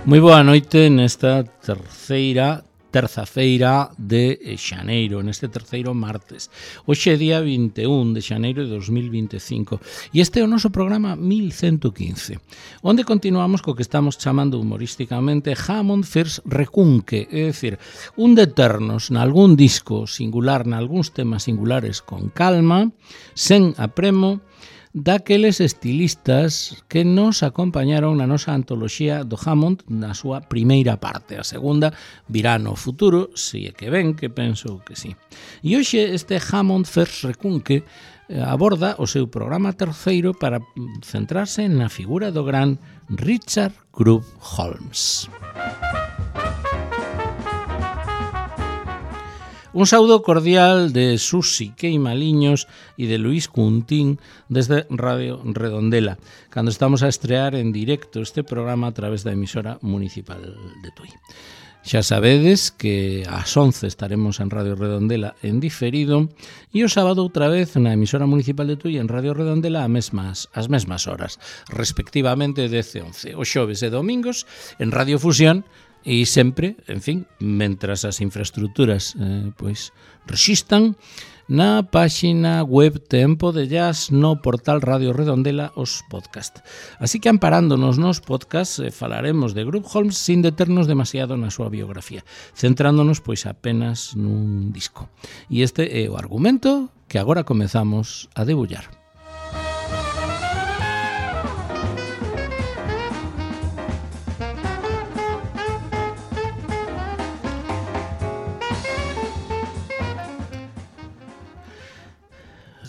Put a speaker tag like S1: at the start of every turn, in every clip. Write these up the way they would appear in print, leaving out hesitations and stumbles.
S1: Moi boa noite nesta terza-feira de xaneiro, neste terceiro martes. Hoxe é día 21 de xaneiro de 2025 e este é o noso programa 1115, onde continuamos co que estamos chamando humorísticamente Hammond First Recunque, é dicir, un deternos nalgún disco singular, nalgúns temas singulares con calma, sen apremo, daqueles estilistas que nos acompañaron na nosa antoloxía do Hammond na súa primeira parte. A segunda virá no futuro, se é que ven, que penso que sí. E hoxe este Hammond First Recunque aborda o seu programa terceiro para centrarse na figura do gran Richard Groove Holmes. Un saúdo cordial de Susi Queimaliños e de Luís Cuntín desde Radio Redondela, cando estamos a estrear en directo este programa a través da emisora municipal de Tui. Xa sabedes que ás 11 estaremos en Radio Redondela en diferido e o sábado outra vez na emisora municipal de Tui en Radio Redondela as mesmas horas, respectivamente 10 e 11. Os xoves e domingos en Radio Fusión. E sempre, en fin, mentras as infraestructuras resistan, na páxina web Tempo de Jazz no portal Radio Redondela os podcast. Así que amparándonos nos podcast falaremos de Groove Holmes sin deternos demasiado na súa biografía, centrándonos pois apenas nun disco. E este é o argumento que agora comezamos a debullar.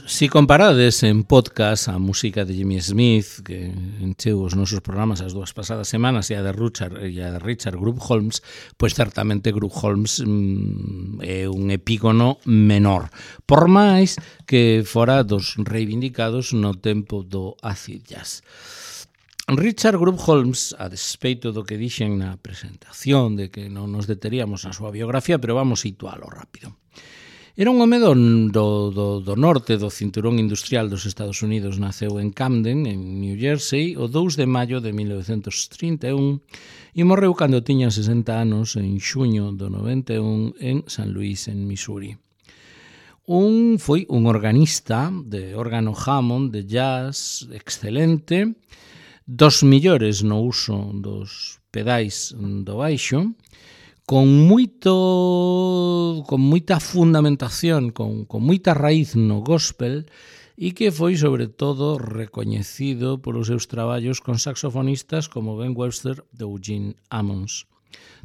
S1: Si comparades en podcast a música de Jimmy Smith, que encheu os nosos programas as dúas pasadas semanas, e a de Richard Groove Holmes, pois certamente Groove Holmes é un epígono menor, por máis que fora dos reivindicados no tempo do acid jazz. Richard Groove Holmes, a despeito do que dixen na presentación de que non nos deteríamos na súa biografía, pero vamos situalo rápido. Era un home do norte do cinturón industrial dos Estados Unidos. Naceu en Camden, en New Jersey, o 2 de maio de 1931 e morreu cando tiña 60 anos en xuño do 91 en San Luis, en Missouri. Foi un organista de órgano Hammond, de jazz, excelente, dos millores no uso dos pedais do baixo, con moita fundamentación, con moita raíz no gospel e que foi sobre todo recoñecido polos seus traballos con saxofonistas como Ben Webster ou Gene Ammons.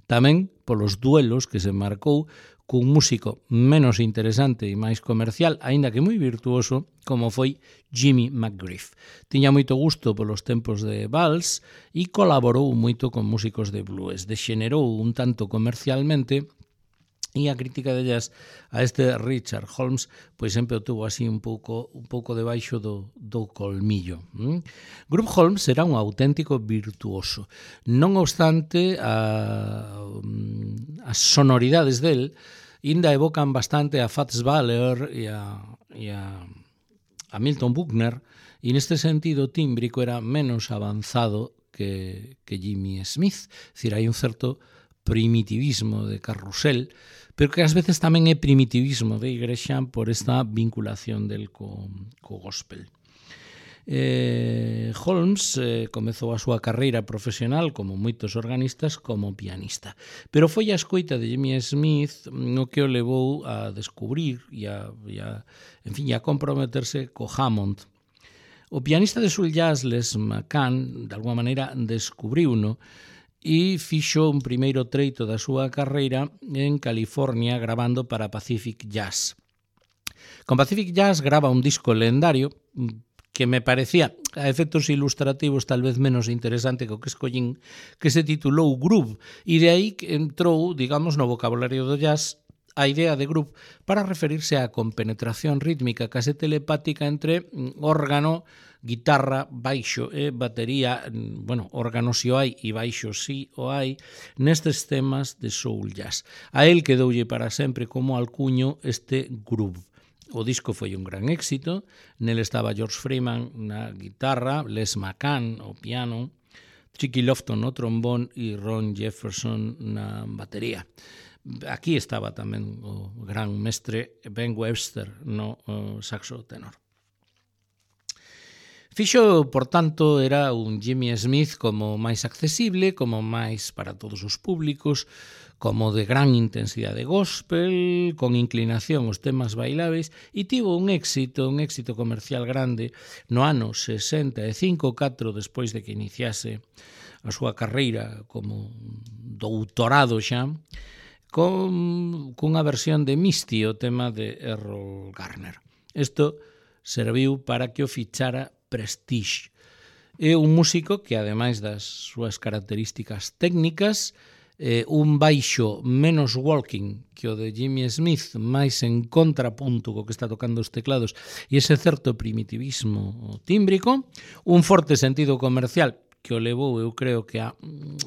S1: Tamén polos duelos que se marcou cun músico menos interesante e máis comercial, aínda que moi virtuoso, como foi Jimmy McGriff. Tiña moito gusto polos tempos de vals e colaborou moito con músicos de blues. Dexenerou un tanto comercialmente e a crítica de jazz a este Richard Holmes pois sempre o tuvo así un pouco debaixo do colmillo. Groove Holmes era un auténtico virtuoso. Non obstante, as sonoridades del ainda evocan bastante a Fats Waller e a Milton Buckner, e neste sentido tímbrico era menos avanzado que Jimmy Smith. É dicir, hai un certo primitivismo de carrusel, pero que ás veces tamén é primitivismo de igrexa por esta vinculación del co gospel. Holmes comezou a súa carreira profesional como moitos organistas como pianista, pero foi a escoita de Jimmy Smith o que o levou a descubrir e a comprometerse co Hammond. O pianista de soul jazz Les McCann de alguma maneira descubriuno e fixo un primeiro treito da súa carreira en California gravando para Pacific Jazz. Con Pacific Jazz grava un disco lendario que me parecía, a efectos ilustrativos, tal vez menos interesante que o que escollín, que se titulou Groove, e de aí que entrou, digamos, no vocabulario do jazz a idea de groove para referirse á compenetración rítmica case telepática entre órgano, guitarra, baixo e batería, órgano si o hai e baixo si o hai, nestes temas de soul jazz. A él quedoulle para sempre como alcuño este groove. O disco foi un gran éxito, nel estaba George Freeman na guitarra, Les McCann ao piano, Chicky Lofton no trombón e Ron Jefferson na batería. Aquí estaba tamén o gran mestre Ben Webster no saxo tenor. Fixo, por tanto, era un Jimmy Smith como máis accesible, como máis para todos os públicos, como de gran intensidade gospel, con inclinación aos temas bailáveis, e tivo un éxito comercial grande no ano 65, 4 despois de que iniciase a súa carreira como doutorado xa, cunha versión de Misty, o tema de Errol Garner. Isto serviu para que o fichara Prestige. É un músico que, ademais das súas características técnicas, un baixo menos walking que o de Jimmy Smith, máis en contrapunto co que está tocando os teclados, e ese certo primitivismo tímbrico, un forte sentido comercial que o levou, eu creo que a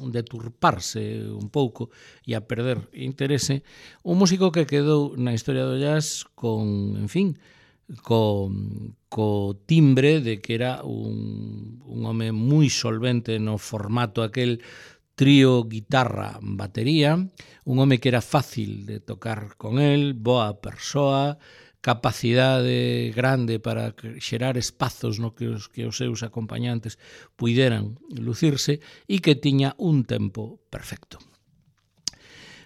S1: deturparse un pouco e a perder interese, un músico que quedou na historia do jazz con, en fin, co timbre de que era un home moi solvente no formato aquel trío, guitarra, batería, un home que era fácil de tocar con el, boa persoa, capacidade grande para xerar espazos no que os seus acompañantes puideran lucirse e que tiña un tempo perfecto.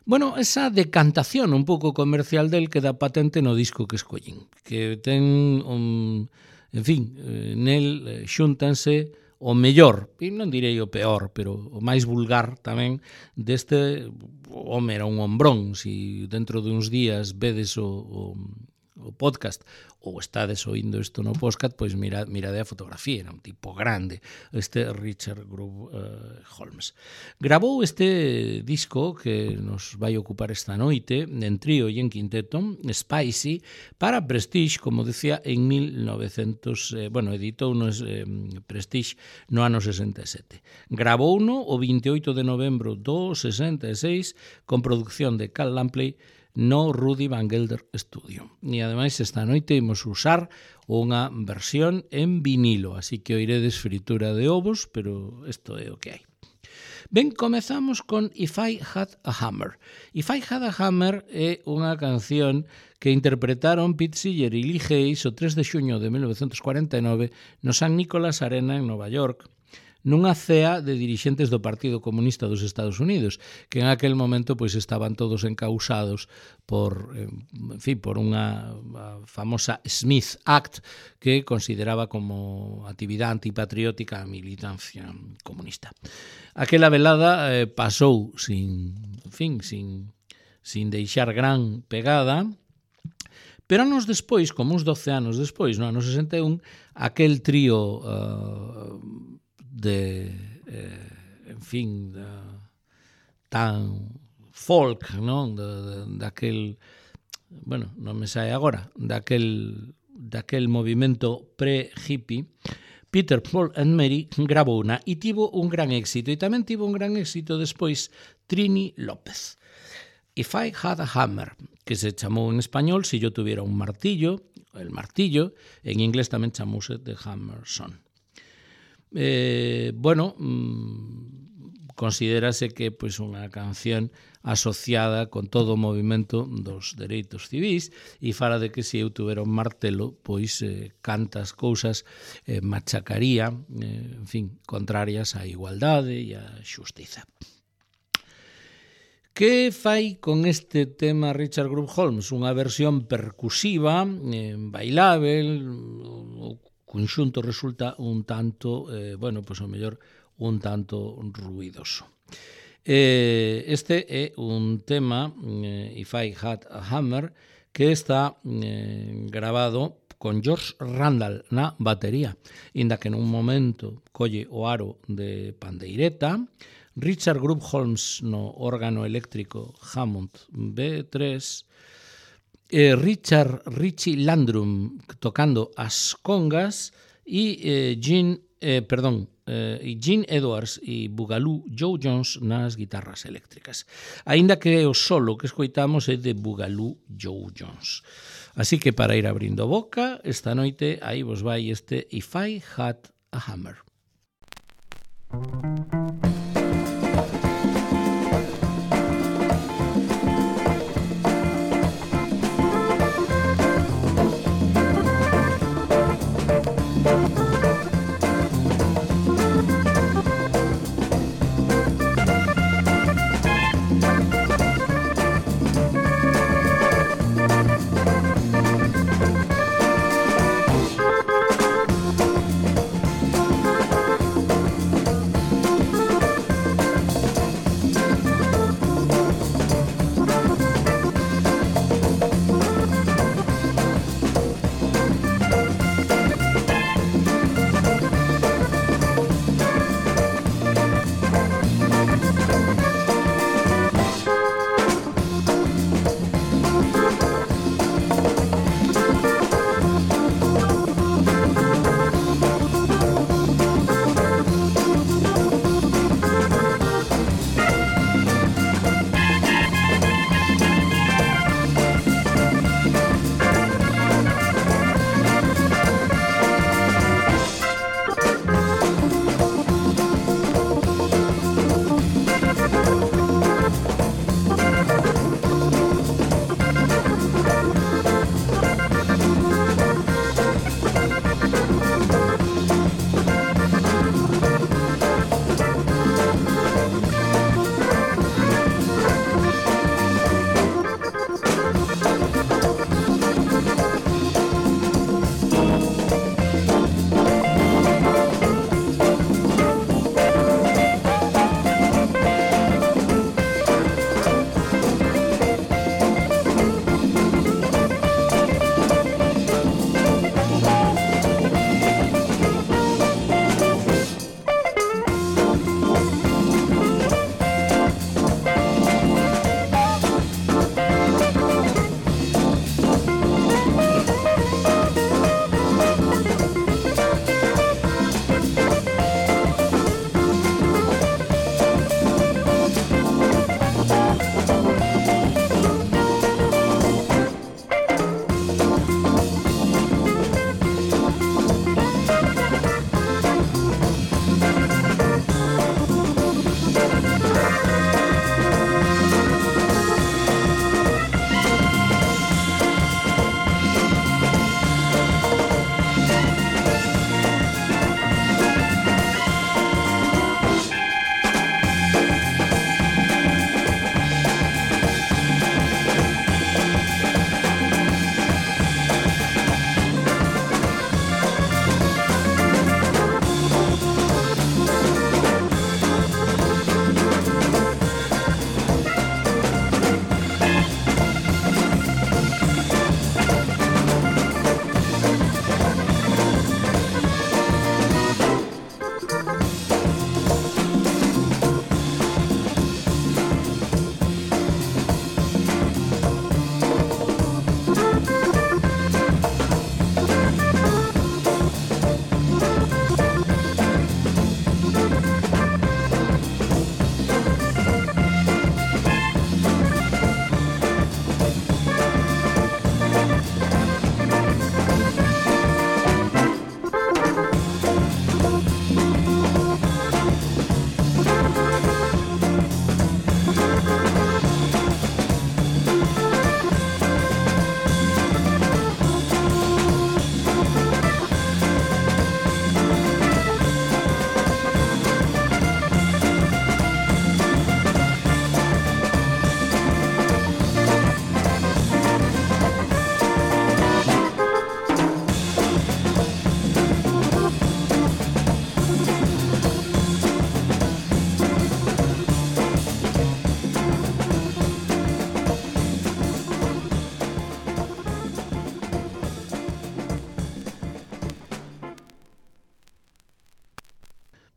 S1: Bueno, esa decantación un pouco comercial del queda patente no disco que escollín, que ten, en fin, nel xúntanse o mellor, e non direi o peor, pero o máis vulgar tamén deste home, era un hombrón. Si dentro de uns días vedes o podcast ou estades oindo isto no podcast, pois mirade a fotografía, era un tipo grande, este Richard Groove Holmes. Gravou este disco que nos vai ocupar esta noite, en trío e en quinteto, Spicy, para Prestige, como decía, en 1900, editou Prestige no ano 67. Gravouno o 28 de novembro do 66 con produción de Cal Lampley no Rudy Van Gelder Studio. E ademais esta noite imos usar unha versión en vinilo, así que oiredes fritura de ovos, pero isto é o que hai. Ben, comezamos con If I Had a Hammer. If I Had a Hammer é unha canción que interpretaron Pete Seeger e Lee Hayes o 3 de xuño de 1949 no San Nicolás Arena en Nova York, nunha cea de dirixentes do Partido Comunista dos Estados Unidos, que en aquel momento pois estaban todos encausados por unha famosa Smith Act que consideraba como actividade antipatriótica a militancia comunista. Aquela velada pasou sin deixar gran pegada, pero anos despois, como uns 12 anos despois, no ano 61, aquel trío tan folk, non? Daquel, non me sae agora, daquel movimento pre-hippie, Peter, Paul and Mary gravouna e tivo un gran éxito, e tamén tivo un gran éxito despois Trini López. If I Had a Hammer, que se chamou en español Si yo tuviera un martillo, el martillo, en inglés tamén chamouse The Hammer Song. Considérase que pois unha canción asociada con todo o movimento dos dereitos civís e fala de que se eu tuvera un martelo, pois cantas cousas machacaría, contrarias á igualdade e á xustiza. Que fai con este tema Richard Groove Holmes? Unha versión percusiva, bailável, o conxunto resulta un tanto, o mellor un tanto ruidoso. Este é un tema, If I Had a Hammer, que está grabado con George Randall na batería, inda que nun momento colle o aro de pandeireta, Richard Groove Holmes no órgano eléctrico Hammond B3, Richie Landrum tocando as congas e Gene Edwards e Boogaloo Joe Jones nas guitarras eléctricas. Aínda que o solo que escoitamos é de Boogaloo Joe Jones. Así que para ir abrindo boca, esta noite aí vos vai este If I Had a Hammer.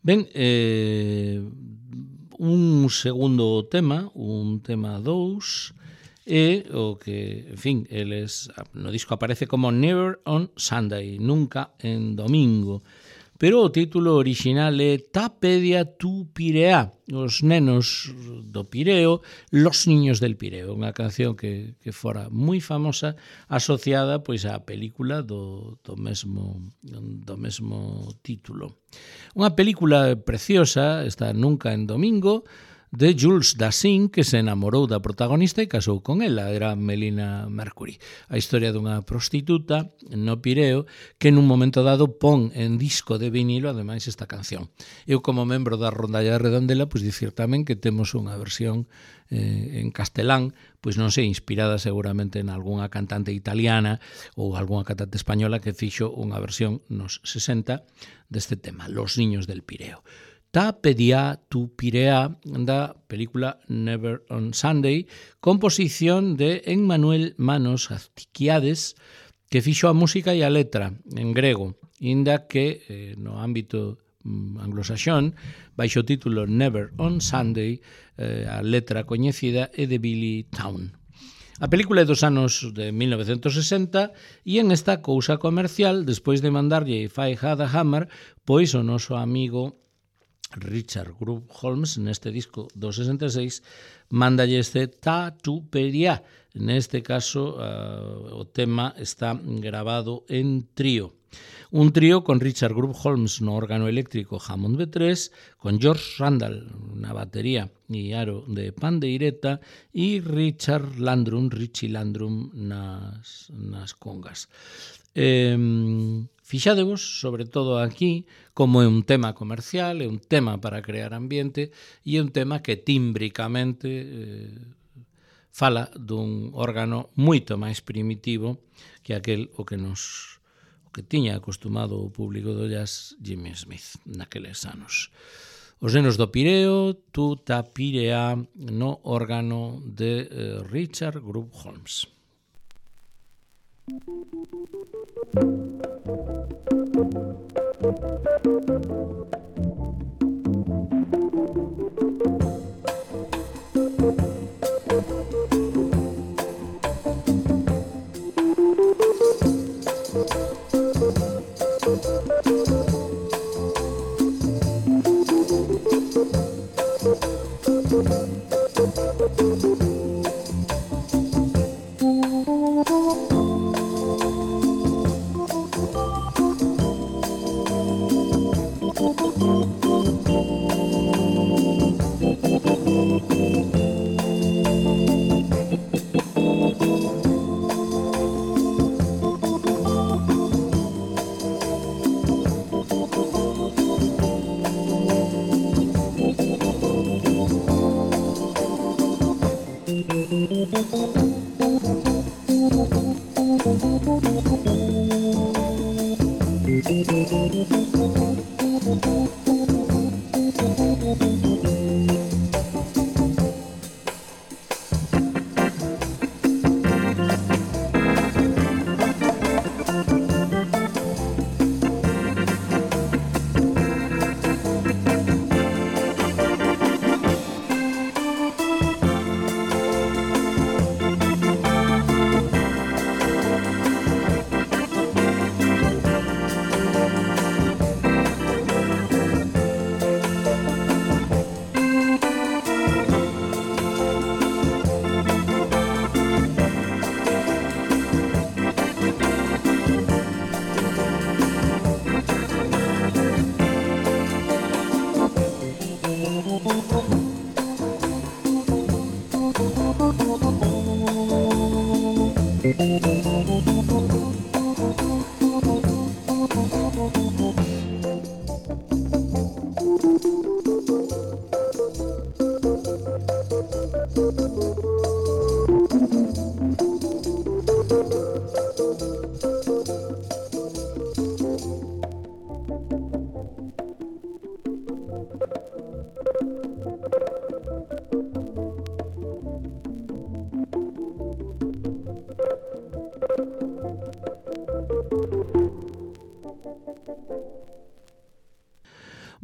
S1: Ben, un segundo tema, un tema 2, e o que, en fin, eles no disco aparece como Never on Sunday, nunca en domingo, pero o título orixinal é Tapedia tu Pirea, os nenos do Pireo, los niños del Pireo, unha canción que fora moi famosa asociada pois á película do mesmo título. Unha película preciosa, está Nunca en Domingo, de Jules Dassin, que se enamorou da protagonista e casou con ela, era Melina Mercury. A historia dunha prostituta no Pireo que nun momento dado pon en disco de vinilo ademais esta canción. Eu como membro da Rondalla de Redondela, pois dicir tamén que temos unha versión en castelán, pois non sei, inspirada seguramente en algunha cantante italiana ou algunha cantante española que fixo unha versión nos 60 deste tema, Los niños del Pireo. Tapedia tu Pirea, da película Never on Sunday, composición de Emmanuel Manos Aztiquiades, que fixo a música e a letra en grego, inda que no ámbito anglosaxón, baixo o título Never on Sunday, a letra coñecida é de Billy Town. A película é dos anos de 1960 e en esta cousa comercial, despois de mandarlle If I Had a Hammer, pois o noso amigo Richard Group Holmes, neste disco do 66, mandalle este Tatuperia. Neste caso, o tema está grabado en trío. Un trío con Richard Group Holmes no órgano eléctrico Hammond B3, con George Randall na batería e aro de pandeireta e Richie Landrum nas congas. Fixadevos, sobre todo aquí, como é un tema comercial, é un tema para crear ambiente e é un tema que tímbricamente fala dun órgano moito máis primitivo que aquel o que tiña acostumado o público do jazz Jimmy Smith naqueles anos. Os nenos do Pireo, tu ta Pirea, no órgano de Richard Group Holmes.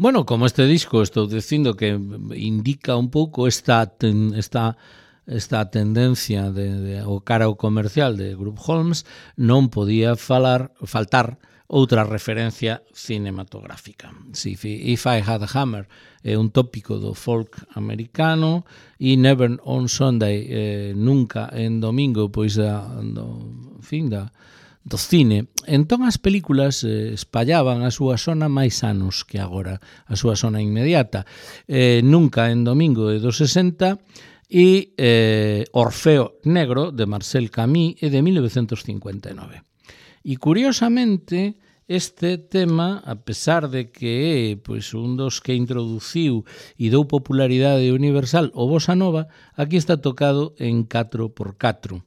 S1: Bueno, como este disco estou dicindo que indica un pouco esta tendencia o cara ao comercial de Group Holmes, non podía faltar outra referencia cinematográfica. If I Had a Hammer é un tópico do folk americano e Never on Sunday, nunca en domingo, pois do cine. Entón as películas espallaban a súa zona máis anos que agora, a súa zona inmediata. Nunca en domingo é dos 60 e Orfeo Negro de Marcel Camus é de 1959. E curiosamente este tema, a pesar de que é pois, un dos que introduciu e dou popularidade universal o bossa nova, aquí está tocado en 4x4.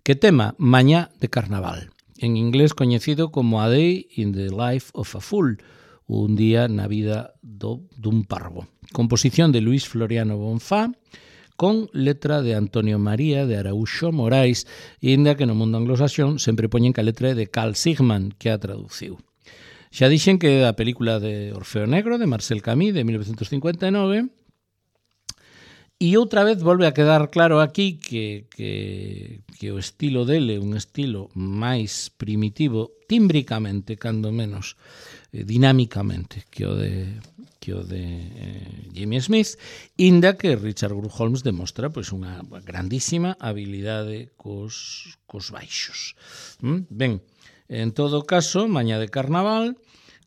S1: Que tema? Mañá de Carnaval, en inglés coñecido como A Day in the Life of a Fool, un día na vida dun parvo. Composición de Luis Floriano Bonfá, con letra de Antonio María de Araújo Morais, e inda que no mundo anglosaxón sempre poñen que a letra é de Carl Sigman, que a traduciu. Xa dixen que é a película de Orfeo Negro, de Marcel Camus, de 1959, e outra vez volve a quedar claro aquí que o estilo dele é un estilo máis primitivo, tímbricamente, cando menos, dinámicamente, que o de Jimmy Smith, inda que Richard Groove Holmes demostra pois, unha grandísima habilidade cos baixos. Ben, en todo caso, Mañá de Carnaval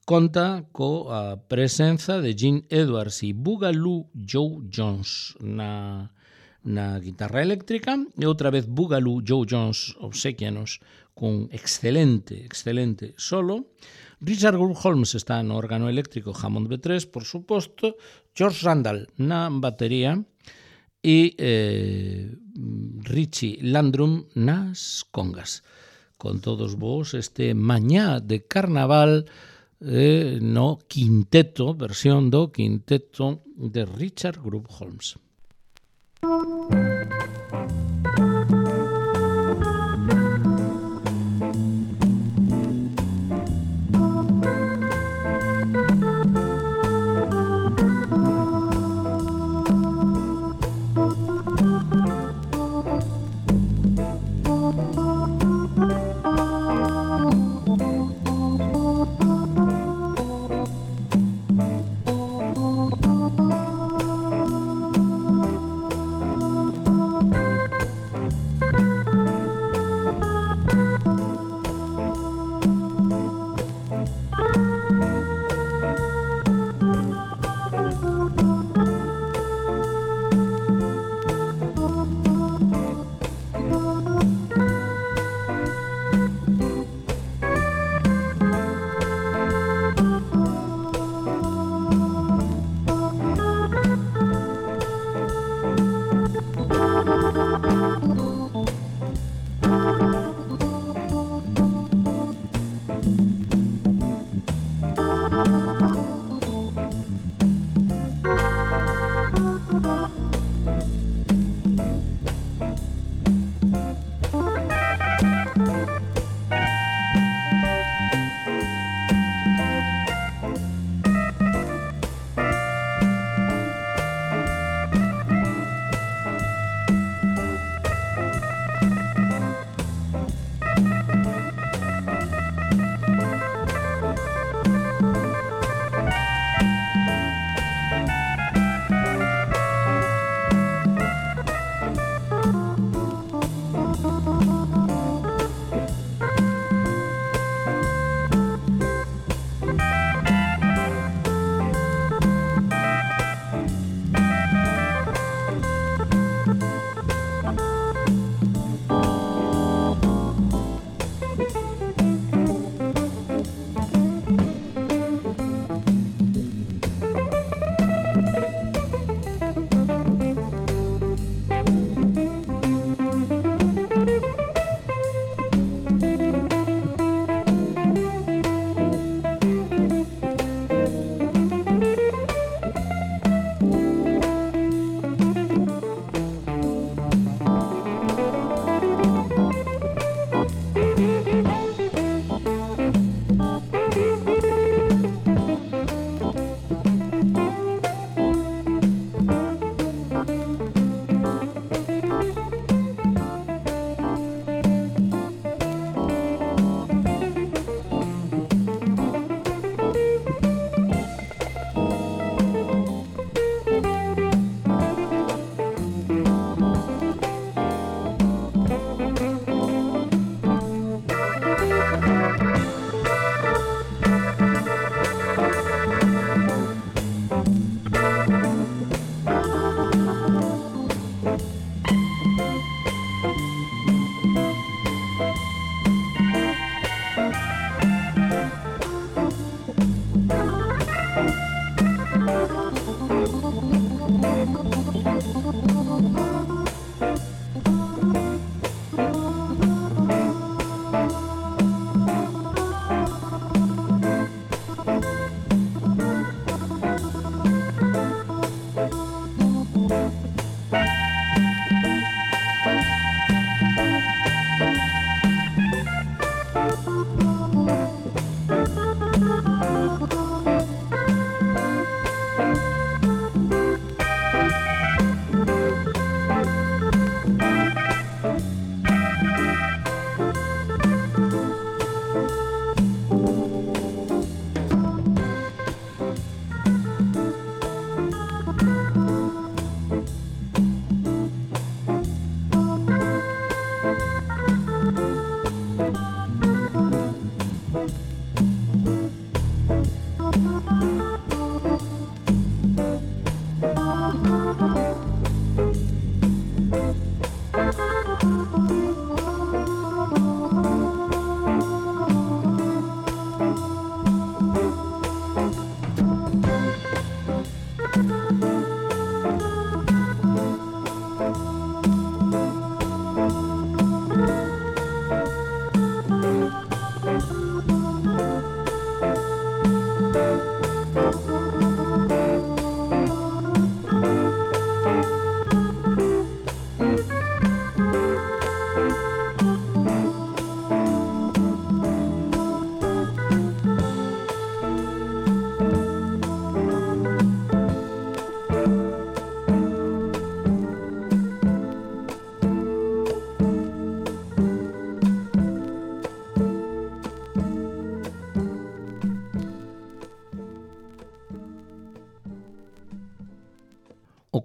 S1: conta coa presenza de Gene Edwards e Boogaloo Joe Jones na guitarra eléctrica, e outra vez Boogaloo Joe Jones obsequianos cun excelente solo. Richard Groove Holmes está no órgano eléctrico Hammond B3, por suposto, George Randall na batería e Richie Landrum nas congas. Con todos vos este Mañá de Carnaval no quinteto, versión do quinteto de Richard Groove Holmes.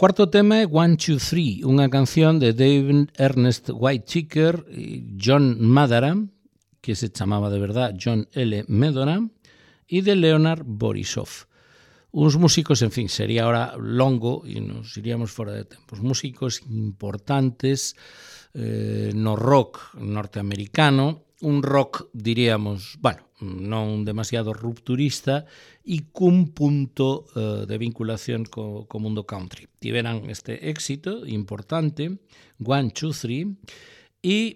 S1: cuarto tema é 1, 2, 3, unha canción de David Ernest Whitaker e John Madaram, que se chamaba de verdad John L. Medoram, e de Leonard Borisov. Uns músicos, en fin, sería ahora longo e nos iríamos fora de tempo. Os músicos importantes no rock norteamericano, un rock, diríamos, bueno, non demasiado rupturista e cun punto de vinculación co mundo country. Tiveran este éxito importante, 1, 2, 3, e,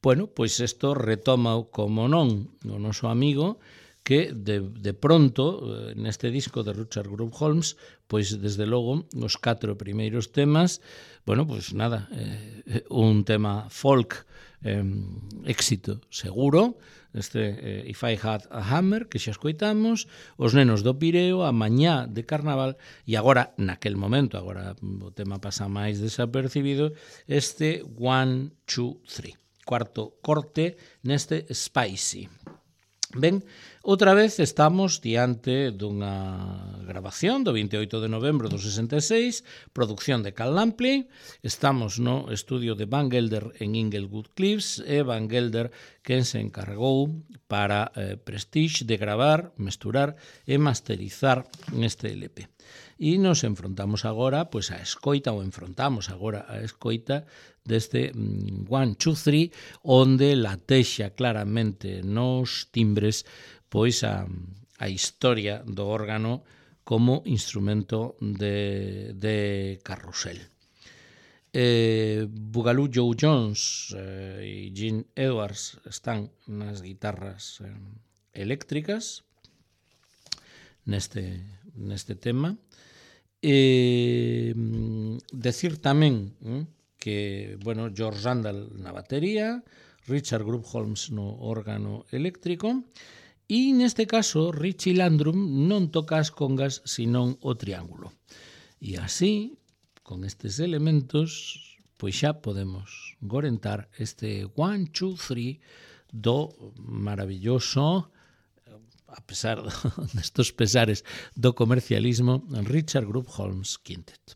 S1: bueno, pois isto retoma como non o noso amigo que de pronto, neste disco de Richard Group Holmes, pois desde logo, os 4 primeiros temas, bueno, pois nada, un tema folk, éxito seguro, este If I Had a Hammer, que xa escoitamos, Os nenos do Pireo, A mañá de Carnaval, e agora, naquel momento, agora o tema pasa máis desapercibido, este 1, 2, 3, cuarto corte neste Spicy. Ben, outra vez estamos diante dunha grabación do 28 de novembro do 66, producción de Cal Lampley. Estamos no estudio de Van Gelder en Inglewood Cliffs e Van Gelder quen se encargou para Prestige de gravar, mesturar e masterizar neste LP. E nos enfrontamos agora pois a escoita, ou enfrontamos agora a escoita deste 1, 2, 3, onde latexa claramente nos timbres pois a historia do órgano como instrumento de carrusel. Boogaloo Joe Jones e Gene Edwards están nas guitarras eléctricas neste tema. Decir tamén que, bueno, George Randall na batería, Richard Group Holmes no órgano eléctrico, e neste caso Richie Landrum non toca as congas senón o triángulo. E así, con estes elementos, pois xa podemos gorentar este 1, 2, 3 do maravilloso, a pesar destos pesares do comercialismo, Richard Group Holmes Quintet.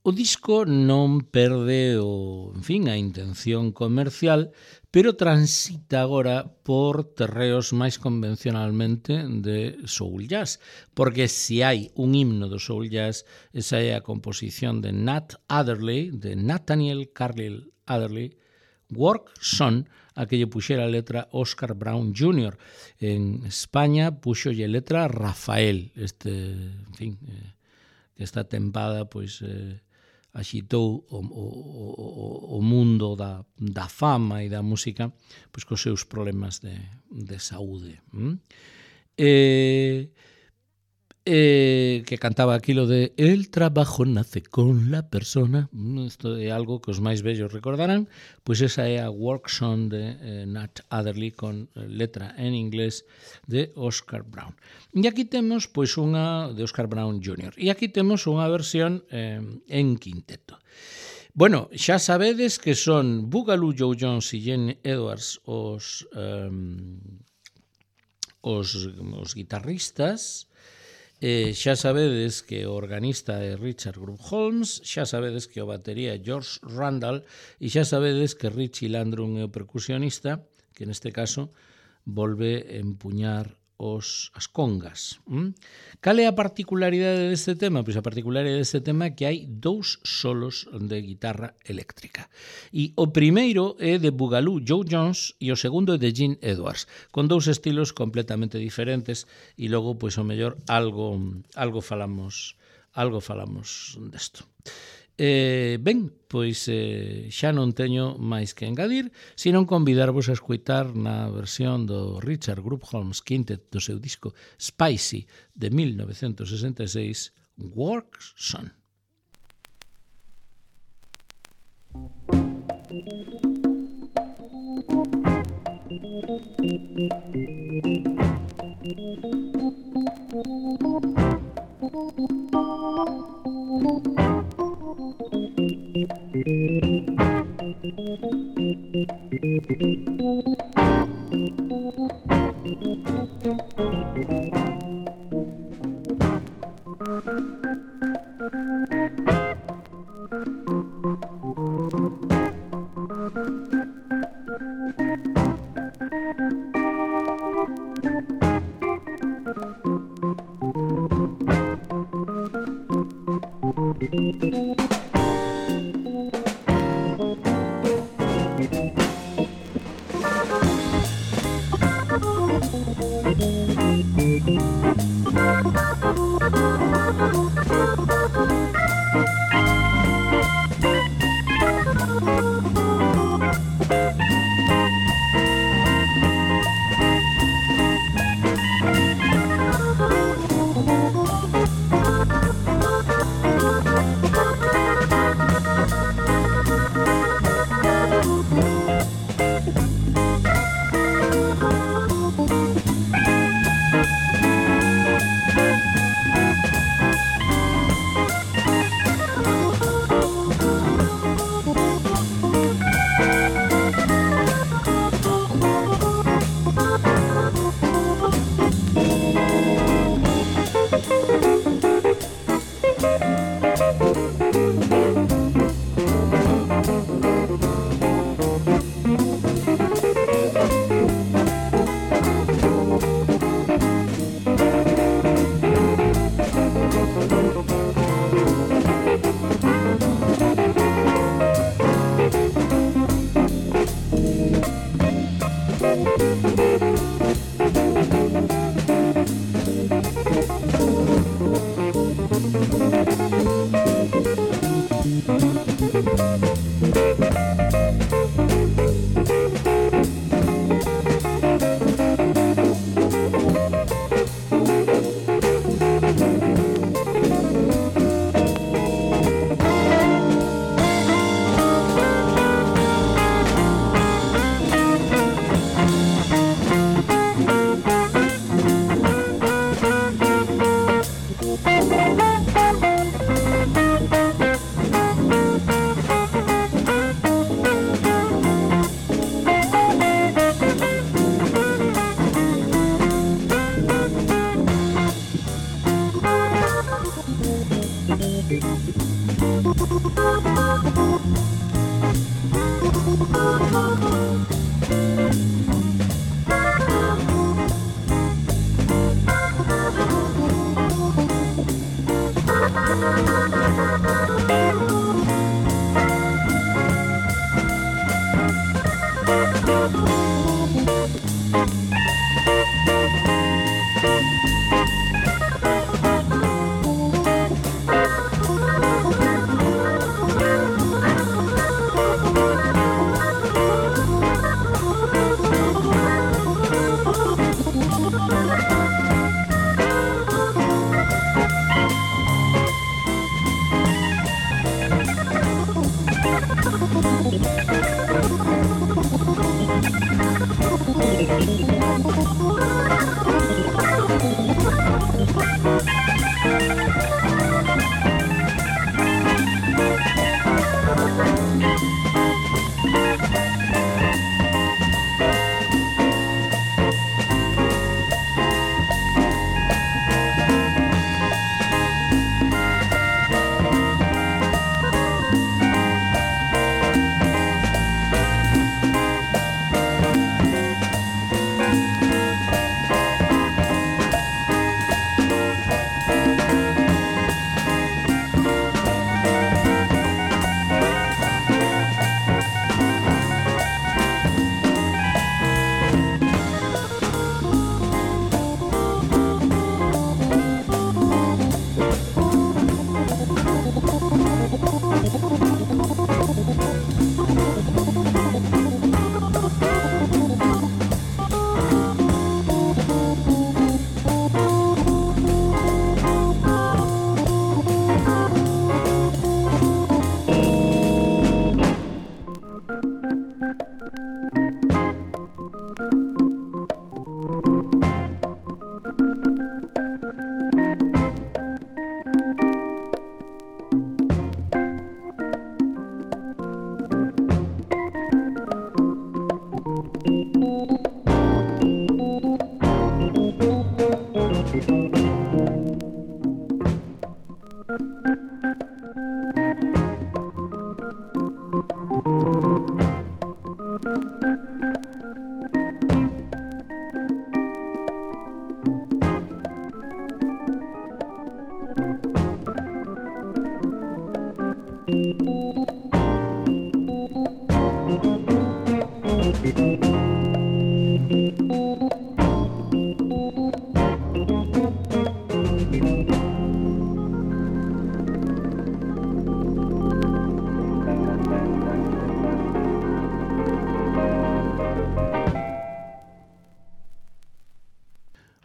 S1: O disco non perde a intención comercial, pero transita agora por terreos máis convencionalmente de soul jazz, porque se hai un himno do soul jazz, esa é a composición de Nat Adderley, de Nathaniel Carlyle Adderley, Work Son, a que lle puxera a letra Oscar Brown Jr. En España puxolle letra Rafael, que esta tempada pois axitou o mundo da fama e da música pois cos seus problemas de saúde. Que cantaba aquilo de el trabajo nace con la persona. Isto é algo que os máis vellos recordarán. Pois esa é a Work Song de Nat Adderley con letra en inglés de Oscar Brown. E aquí temos pois unha de Oscar Brown Jr. E aquí temos unha versión en quinteto. Bueno, xa sabedes que son Boogaloo Joe Jones e Gene Edwards os guitarristas. Xa sabedes que o organista é Richard Group Holmes, xa sabedes que o batería é George Randall e xa sabedes que Richie Landrum é o percusionista, que neste caso volve empuñar as congas. Cal é a particularidade deste tema? Pois a particularidade deste tema é que hai 2 solos de guitarra eléctrica. E o primeiro é de Boogaloo Joe Jones e o segundo é de Gene Edwards, con 2 estilos completamente diferentes e logo, pois, o mellor, algo falamos desto. Ben, pois xa non teño máis que engadir, senón convidarvos a escoitar na versión do Richard Group Holmes Quintet do seu disco Spicy de 1966, Work Son.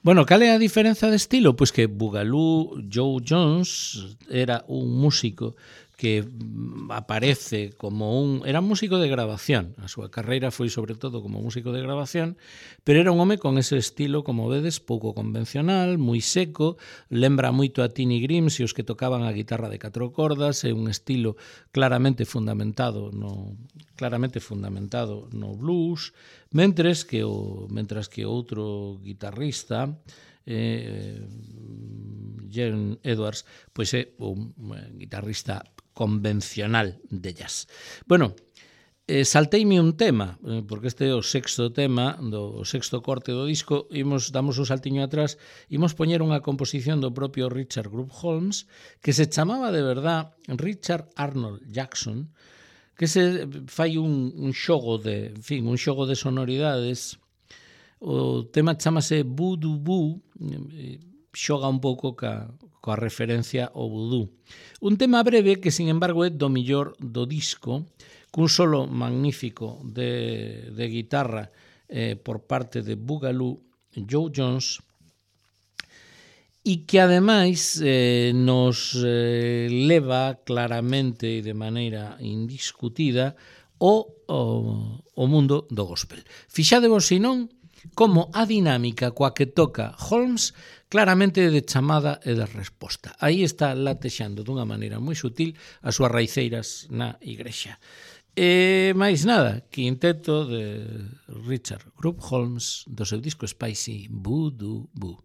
S1: Bueno, cal é a diferenza de estilo? Pois que Boogaloo Joe Jones era un músico que aparece como era músico de grabación. A súa carreira foi sobre todo como músico de grabación, pero era un home con ese estilo, como vedes, pouco convencional, moi seco, lembra moito a Tiny Grimes e os que tocaban a guitarra de 4 cordas, é un estilo claramente fundamentado no blues, mentres que outro guitarrista, Gene Edwards, pois é un guitarrista convencional de jazz. Bueno, salteime un tema, porque este é o sexto tema, o sexto corte do disco, damos un saltiño atrás, imos poñer unha composición do propio Richard Group Holmes, que se chamaba de verdad Richard Arnold Jackson, que se fai un xogo de sonoridades. O tema chamase Voodoo Boo, xoga un pouco coa referencia ao vudú. Un tema breve que, sin embargo, é do millor do disco, cun solo magnífico de guitarra por parte de Boogaloo Joe Jones, e que, ademais, nos leva claramente e de maneira indiscutida o mundo do gospel. Fixadevos, senón, como a dinámica coa que toca Holmes claramente de chamada e de resposta. Aí está latexando dunha maneira moi sutil as súas raiceiras na igrexa. E máis nada, quinteto de Richard Group Holmes do seu disco Spicy Voodoo Boo.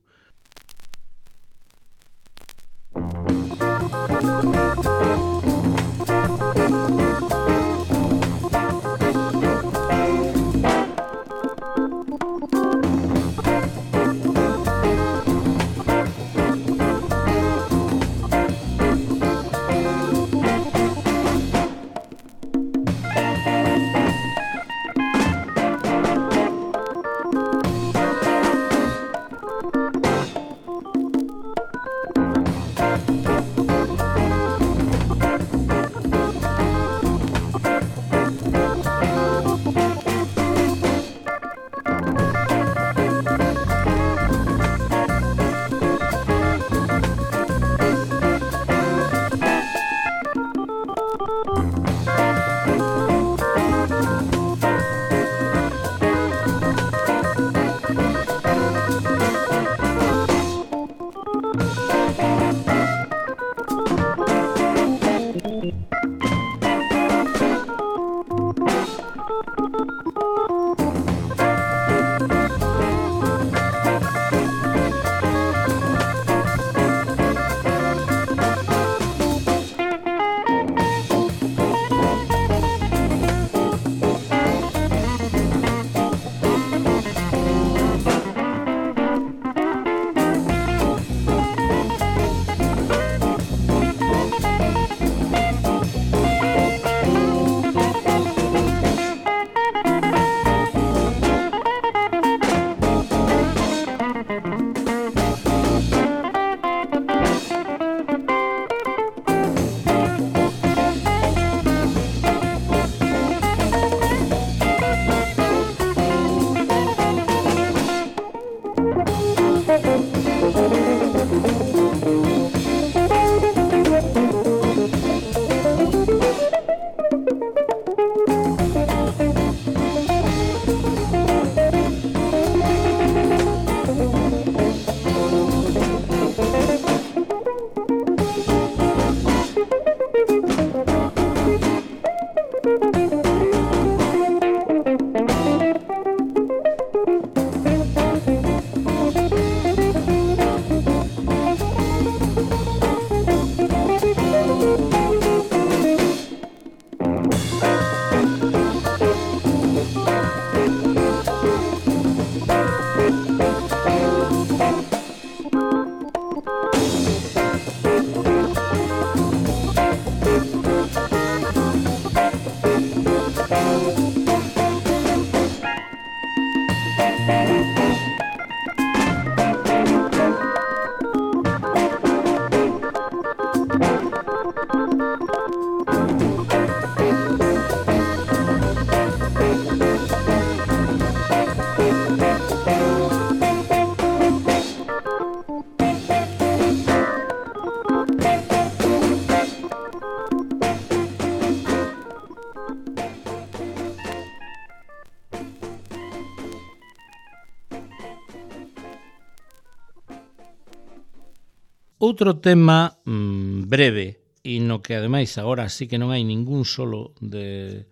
S1: Outro tema breve e no que ademais agora sí que non hai ningún solo de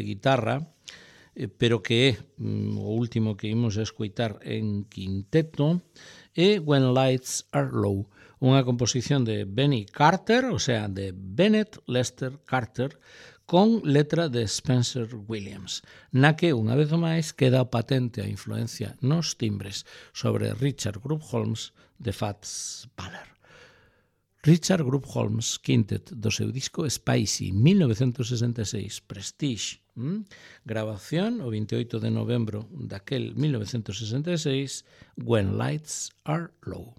S1: guitarra, pero que é o último que imos escoitar en quinteto, é When Lights Are Low, unha composición de Benny Carter, o sea, de Bennett Lester Carter, con letra de Spencer Williams, na que, unha vez máis, queda patente a influencia nos timbres sobre Richard Group Holmes de Fats Waller. Richard Group Holmes Quintet do seu disco Spicy 1966, Prestige, grabación o 28 de novembro daquel 1966, When Lights Are Low.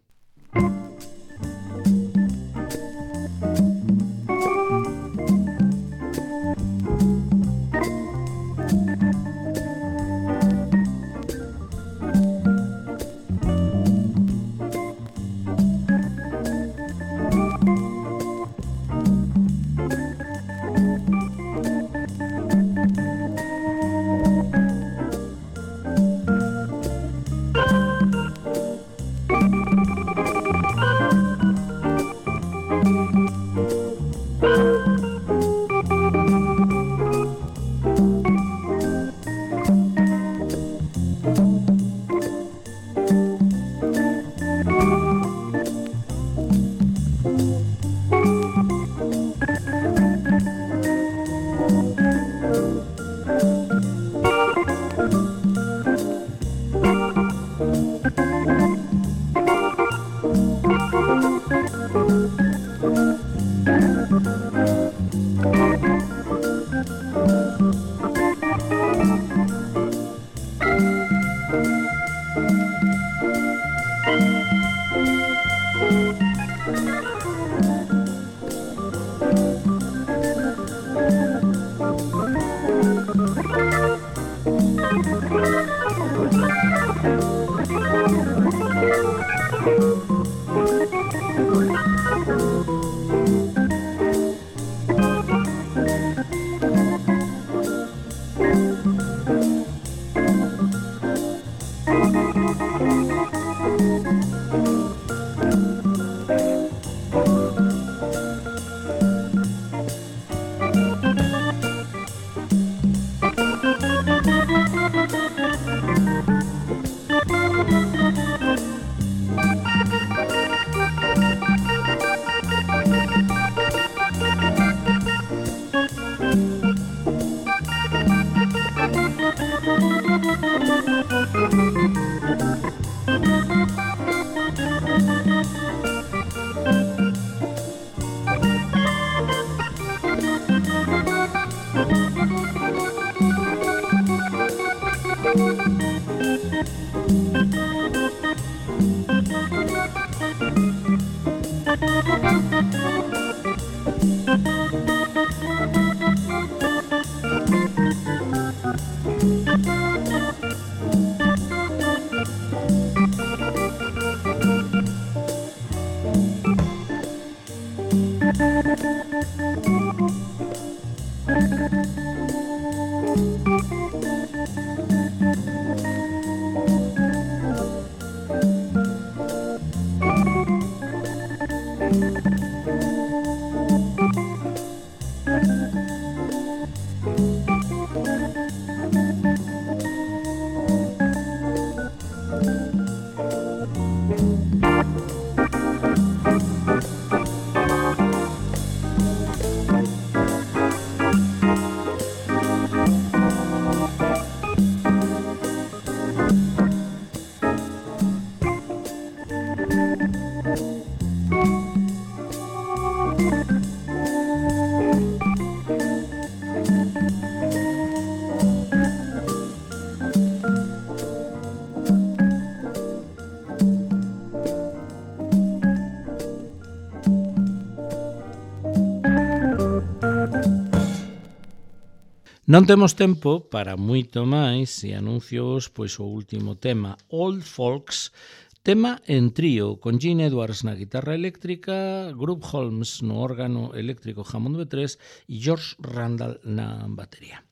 S1: Non temos tempo para moito máis e anuncios pois o último tema, Old Folks, tema en trío, con Gene Edwards na guitarra eléctrica, Group Holmes no órgano eléctrico Hammond B3 e George Randall na batería.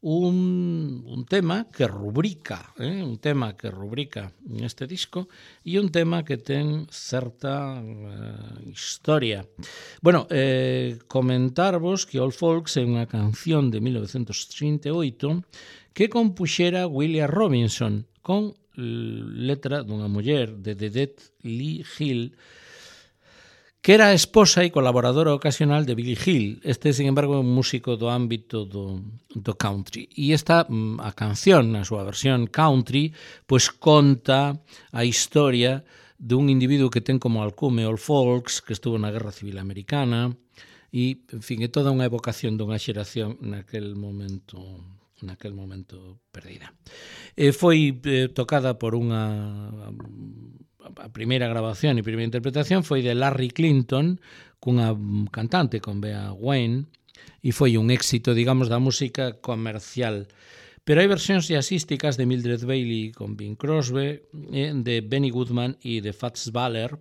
S1: Un tema que rubrica neste disco e un tema que ten certa historia. Bueno, comentarvos que Old Folks é unha canción de 1938 que compuxera William Robinson con letra dunha muller de Dedette Lee Hill, que era a esposa e colaboradora ocasional de Billy Hill. Este, sin embargo, é un músico do ámbito do country. E esta, a canción, na súa versión country, pois conta a historia dun individuo que ten como alcume Old Folks, que estuvo na Guerra Civil Americana, e, en fin, é toda unha evocación dunha xeración naquel momento perdida. Foi tocada por unha... A primeira grabación e primeira interpretación foi de Larry Clinton cunha cantante, con Bea Wayne, e foi un éxito, digamos, da música comercial. Pero hai versións jazzísticas de Mildred Bailey con Bing Crosby, de Benny Goodman e de Fats Waller,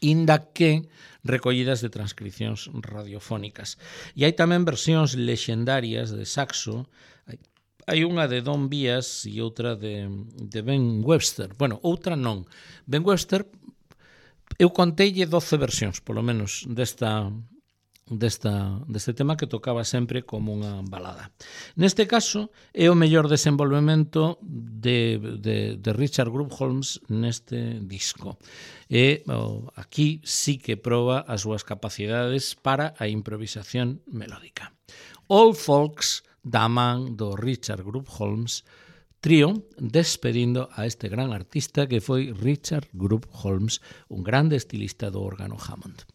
S1: inda que recollidas de transcripcións radiofónicas. E hai tamén versións lexendarias de saxo. Hai unha de Don Byas e outra de Ben Webster. Bueno, outra non. Ben Webster, eu conteille 12 versións, polo menos, deste tema que tocaba sempre como unha balada. Neste caso, é o mellor desenvolvemento de Richard Group Holmes neste disco. E aquí sí que proba as súas capacidades para a improvisación melódica. Old Folks, da man do Richard Group Holmes trío, despedindo a este gran artista que foi Richard Group Holmes, un grande estilista do órgano Hammond.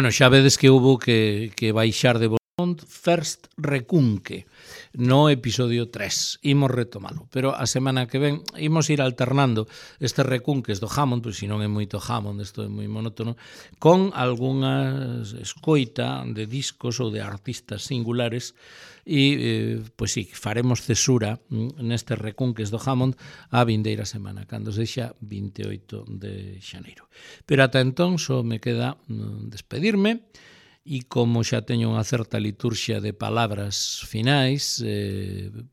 S1: Bueno, xa vedes que houve que baixar de Beaumont First Recunque no episodio 3. Imos retomalo, pero a semana que ven imos ir alternando estes recunques do Hammond, pois se non é moito Hammond, isto é moi monótono, con algunhas escoita de discos ou de artistas singulares e, pois sí, faremos cesura nestes recunques do Hammond a vindeira semana, cando sexa 28 de xaneiro. Pero ata entón só me queda despedirme e como xa teño unha certa liturxia de palabras finais,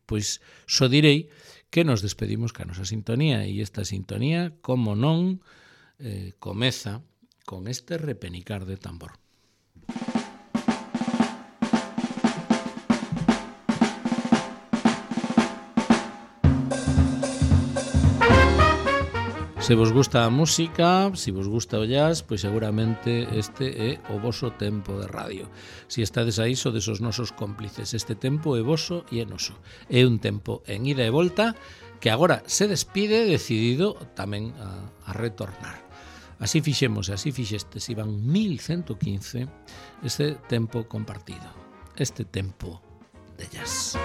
S1: pois só direi que nos despedimos ca nosa sintonía e esta sintonía, como non, comeza con este repenicar de tambor. Se vos gusta a música, se vos gusta o jazz, pois seguramente este é o voso tempo de radio. Se estades aí, sodes os nosos cómplices. Este tempo é voso e é noso. É un tempo en ida e volta que agora se despide decidido tamén a retornar. Así fixemos, así fixestes, iban 1115 este tempo compartido, este tempo de jazz.